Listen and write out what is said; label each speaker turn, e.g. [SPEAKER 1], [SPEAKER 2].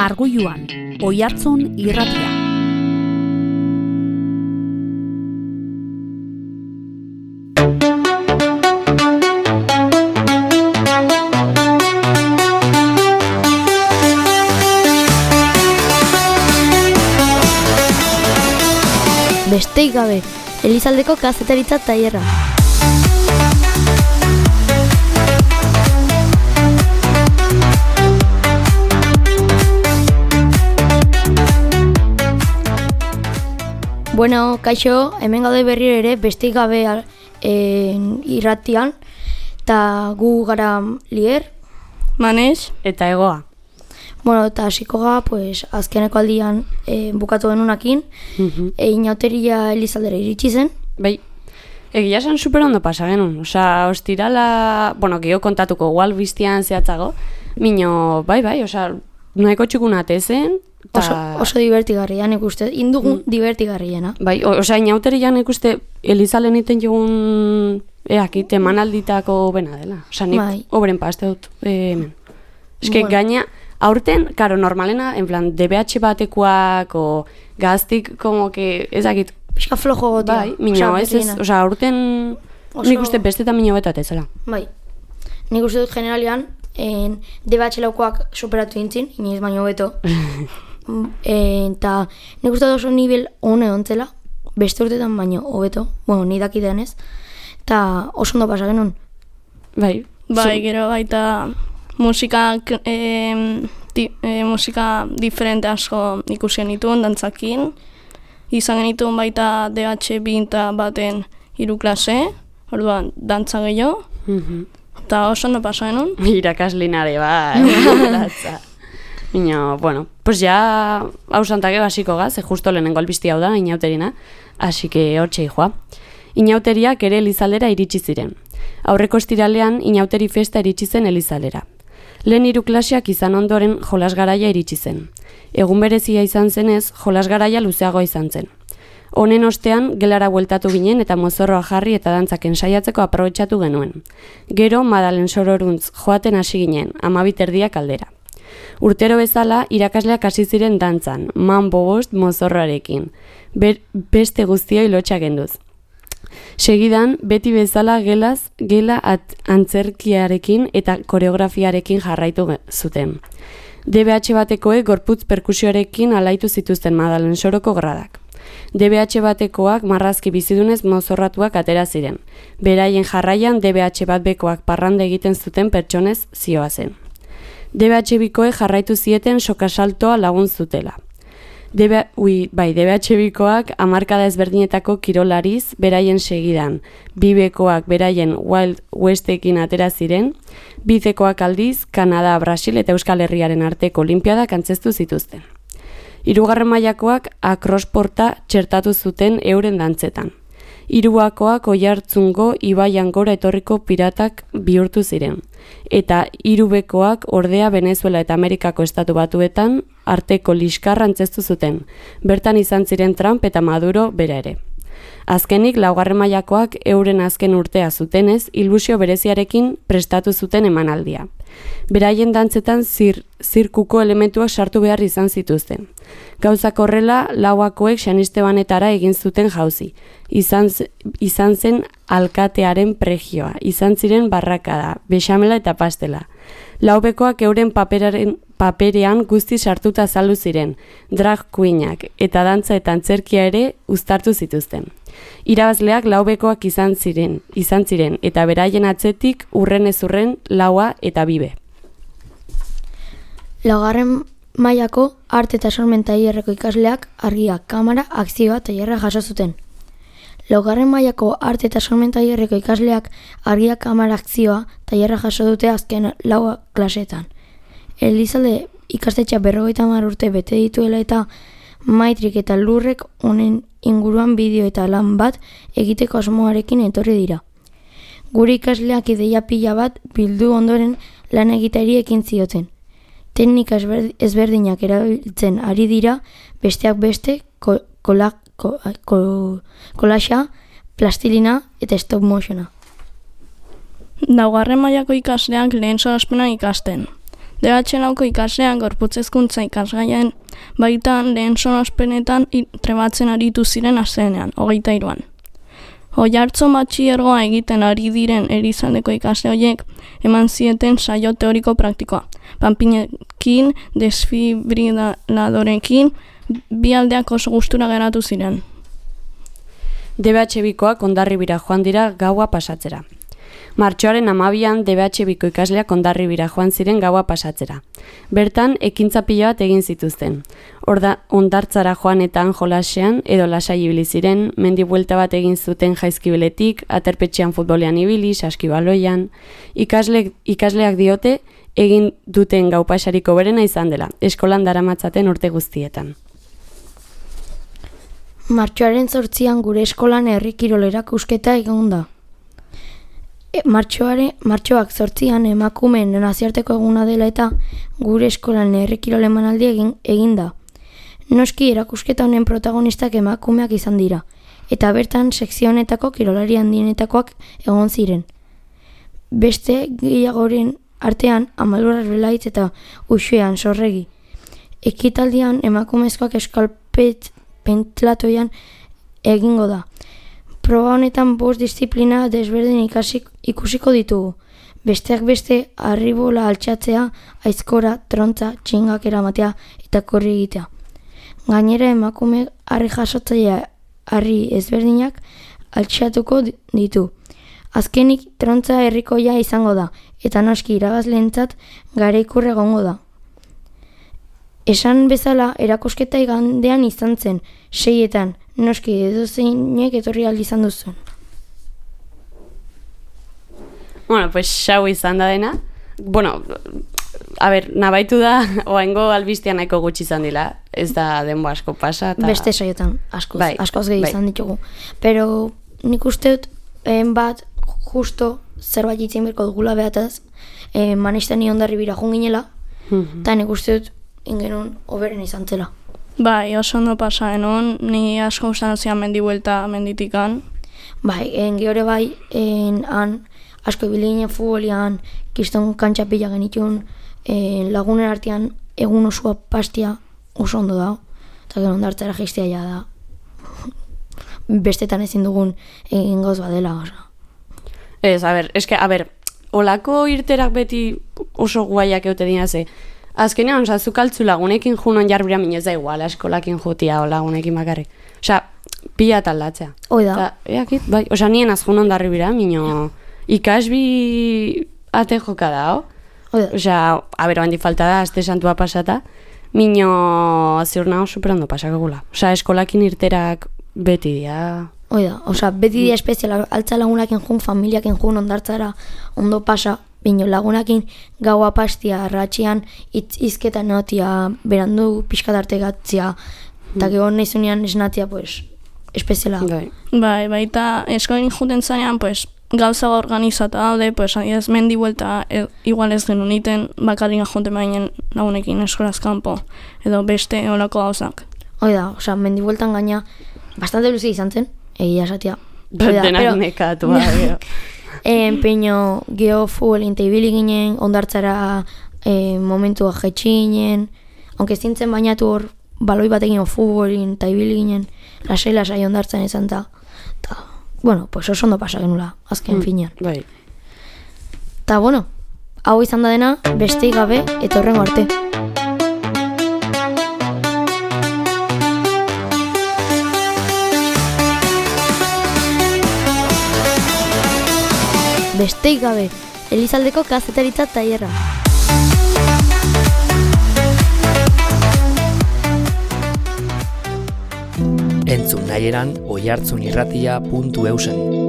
[SPEAKER 1] Arguiluan, Oiartzun irratia.
[SPEAKER 2] Besteik gabe, Elizaldeko kazetaritza tailerra. Bueno, kaixo, hemen gaude berriro ere besteik gabe irratian, eta gu gara Lier,
[SPEAKER 3] Manes eta Egoa.
[SPEAKER 2] Bueno, eta hasiko ga, pues, azkeneko aldian bukatu genunakin, inauteria Elizaldera iritsi zen.
[SPEAKER 3] Bai, egia esan super ondo pasa genuen, osea, ostirala, bueno, geho kontatuko igual biztian zehatzago, mino, bai, osea, nahiko txukunate zen,
[SPEAKER 2] Oso divertigarria, nik uste, indugun divertigarriena.
[SPEAKER 3] Bai, osea, inauteria nik uste Elizalen iten jogun eakit emanalditako bena dela. Osea, nik obren paste dut hemen. Eske gaina, aurten, karo, normalena, en plan, DBH batekoak o gaztik, como que, ezakit...
[SPEAKER 2] Pixka flojo gotia.
[SPEAKER 3] Bai, minio, osea, aurten nik uste bestetan minio betate zela.
[SPEAKER 2] Bai, nik uste dut generalian, DBH laukoak superatu dintzin, inoiz baino beto. Eta nik uste oso nivel hone ontzela, beste urtetan baino hobeto, bueno, ni dakidenez, eta oso ondo pasa genuen.
[SPEAKER 3] Bai,
[SPEAKER 4] gero baita musika diferente asko ikusi genituen dantzakin, izan genituen baita DH binta baten 3 klase, orduan dantza gehiago, eta oso ondo pasa genuen.
[SPEAKER 3] Irakaslinare, bai, Ino, bueno, pues ya hausantake basiko gaz, justo lehenengo albizti hau da, inauterina, así que hortxe joa. Inauteriak ere Elizaldera iritsi ziren. Aurreko estiralean inauteri festa iritsi zen Elizaldera. Lehen 3 klaseak izan ondoren jolasgaraia iritsi zen. Egun berezia izan zenez, jolasgaraia luzeagoa izan zen. Honen ostean, gelara bueltatu ginen eta mozorroa jarri eta dantzaken saiatzeko aprobetxatu genuen. Gero, Madalen sororuntz joaten hasi ginen, 12 aldera. Urtero bezala, irakasleak hasi ziren dantzan, bost mozorroarekin, beste guztioi lotxa genduz. Segidan, beti bezala gela antzerkiarekin eta koreografiarekin jarraitu zuten. DBH batekoek gorputz perkusioarekin alaitu zituzten Madalen soroko gradak. DBH batekoak marrazki bizidunez mozorratuak atera ziren. Beraien jarraian DBH bat bekoak parranda egiten zuten pertsonez zioazen. DBH bikoek jarraitu zieten sokasaltoa lagun zutela. DBH bikoak hamarkada ezberdinetako kirolariz beraien segidan, bibekoak beraien Wild Westekin atera ziren, bizekoak aldiz, Kanada, Brasil eta Euskal Herriaren arteko olimpiadak antzestu zituzten. 3. mailakoak akrosporta txertatu zuten euren dantzetan. 3. Oiartzungo ibaian gora etorriko piratak bihurtu ziren. Eta 3. ordea Venezuela eta Amerikako estatu batuetan arteko liskarra antzestu zuten. Bertan izan ziren Trump eta Maduro bera ere. Azkenik, 4. mailakoak euren azken urtea zutenez, ilusio bereziarekin prestatu zuten emanaldia. Beraien dantzetan zirkuko elementuak sartu behar izan zituzten. Gauzak horrela, 4. Xanistebanetara egin zuten jauzi. Izan zen alkatearen pregioa, izan ziren barrakada, bexamela eta pastela. 4. euren paperean guzti sartuta azaldu ziren, drag queenak eta dantza eta antzerkia ere uztartu zituzten. Irabazleak 4. izan ziren eta beraien atzetik urren ez urren 4 eta 2.
[SPEAKER 2] 4. mailako arte eta sormen tailerreko ikasleak argia, kamera, akzioa tailerra jaso zuten. 4. mailako arte eta sormen tailerreko ikasleak argia, kamera, akzioa tailerra jaso dute azken 4 klaseetan. Elizalde ikastetxea 50 urte bete dituela eta Maitrik eta Lurrek honen inguruan bideo eta lan bat egiteko asmoarekin etorri dira. Gure ikasleak ideia pila bat bildu ondoren lan egiteari ekin zioten. Teknika ezberdinak erabiltzen ari dira, besteak beste kolaxa, plastilina eta stop motiona.
[SPEAKER 4] 4. mailako ikasleak lehen solaspena ikasten. DH-lauko ikasleak gorputz hezkuntza ikasgaien baitan lehen sonospenetan trebatzen aritu ziren astelehenean, 23an. Oiartzun batxilergoa egiten ari diren Elizaldeko ikasle horiek eman zieten saio teoriko praktikoa. Panpinekin, desfibriladorekin, bi aldeak oso gustura geratu ziren.
[SPEAKER 3] DBH-bikoak Hondarribira joan dira gaua pasatzera. Martxoaren 12an DBH-biko ikasleak Hondarribira joan ziren gaua pasatzera. Bertan, ekintza pila bat egin zituzten. Hondartzara joanetan jolasean edo lasai ibili ziren, mendi buelta bat egin zuten jaizkibeletik, aterpetxean futbolean ibili, saskibaloian. Ikasleak diote egin duten gau pasariko berena izan dela, eskolan daramatzaten urte guztietan.
[SPEAKER 2] Martxoaren 8an gure eskolan herri kirol erakusketa egon da. Martxoak 8an emakumeen nazioarteko eguna dela eta gure eskolan herri kirol emanaldi egin da. Noski erakusketa honen protagonistak emakumeak izan dira, eta bertan sekzio honetako kirolari handienetakoak egon ziren. Beste gehiagoren artean Amalur Arbelaitz eta Uxuean Sorregi. Ekitaldian emakumezkoak eskalpentlatoian egingo da. Proba honetan 5 disiplina desberdin ikusiko ditugu. Besteak beste, harribola altxatzea, aizkora, trontza, txingak eramatea eta korri egitea. Gainera emakume harri jasotzailea harri ezberdinak altxatuko ditu. Azkenik, trontza herrikoia izango da, eta noski irabazleentzat garaikur egongo da. Esan bezala, erakusketa igandean izan zen, 6etan, noski edozeinek etorri aldi izan duzuen.
[SPEAKER 3] Bueno, pues xau izan da dena. Bueno, nabaitu da, oaingo albistea nahiko gutxi izan dila. Ez da denbo asko pasa.
[SPEAKER 2] Beste saiotan, askoz gehi izan ditugu. Pero nik uste dut, bat, justo zerbait itzen berko dugula behataz, maneizten ni Hondarribira joan ginela, eta nik uste dut ingenun oberen izan zela.
[SPEAKER 4] Bai, oso ondo pasa enon, ni asko usan zian mendi buelta menditikan.
[SPEAKER 2] Bai, gehiore bai, han asko ibili ginen futbolian, kiston kantxapila genitun, lagunen artean egun osoa pastia oso ondo da, eta gero Hondartzara jistea ja da. Bestetan ezin dugun egin gauz badela, oso.
[SPEAKER 3] Ez, olako irterak beti oso guaiak eute dinaze. Azkenean, zuk altzu lagunekin junon jarbira minez da igual, eskolakin jutia o lagunekin bakarrik. Pila taldatzea.
[SPEAKER 2] Hoi da.
[SPEAKER 3] Bai, nien azjun Hondarribira, mino ikasbi ate joka da, handi falta da, azte santua pasata, mino ziur nago superondo pasakagula. Eskolakin irterak beti dia.
[SPEAKER 2] Hoi da, beti dia espezial, altza lagunakin jun, familiakin jun, Hondartzara ondo pasa, bino lagunakin gaua pastia, arratxian, izketan notia, berandu pixkatarte gatzia, eta gero nahizunean esnatia, pues, espeziala.
[SPEAKER 4] Bai, baita eskolen juten zanean, pues, gauza organizata daude, pues, adiaz, mendi buelta, igual ez genuen iten, bakarrik jonten bainen lagunekin eskolaz kanpo, edo beste olako gauzak.
[SPEAKER 2] Hoi da, mendi bueltan gaina, bastante luzi izan zen, egia esatia.
[SPEAKER 3] Denak nekatu, gero.
[SPEAKER 2] Peño geho futbolin eta ibili ginen, Hondartzara momentua jetxinen, aunque zintzen bainatu hor, baloi batekin futbolin eta ibili ginen, lasai Hondartzan izan eta, bueno, pues oso ondo pasa genula, azken finean.
[SPEAKER 3] Bai.
[SPEAKER 2] Ta, bueno, hau izan da dena, besteik gabe, eta horrengo arte. Besteik gabe, Elizaldeko kazetaritza tailerra.
[SPEAKER 5] Entzun nahieran oiartzunirratia.eusen.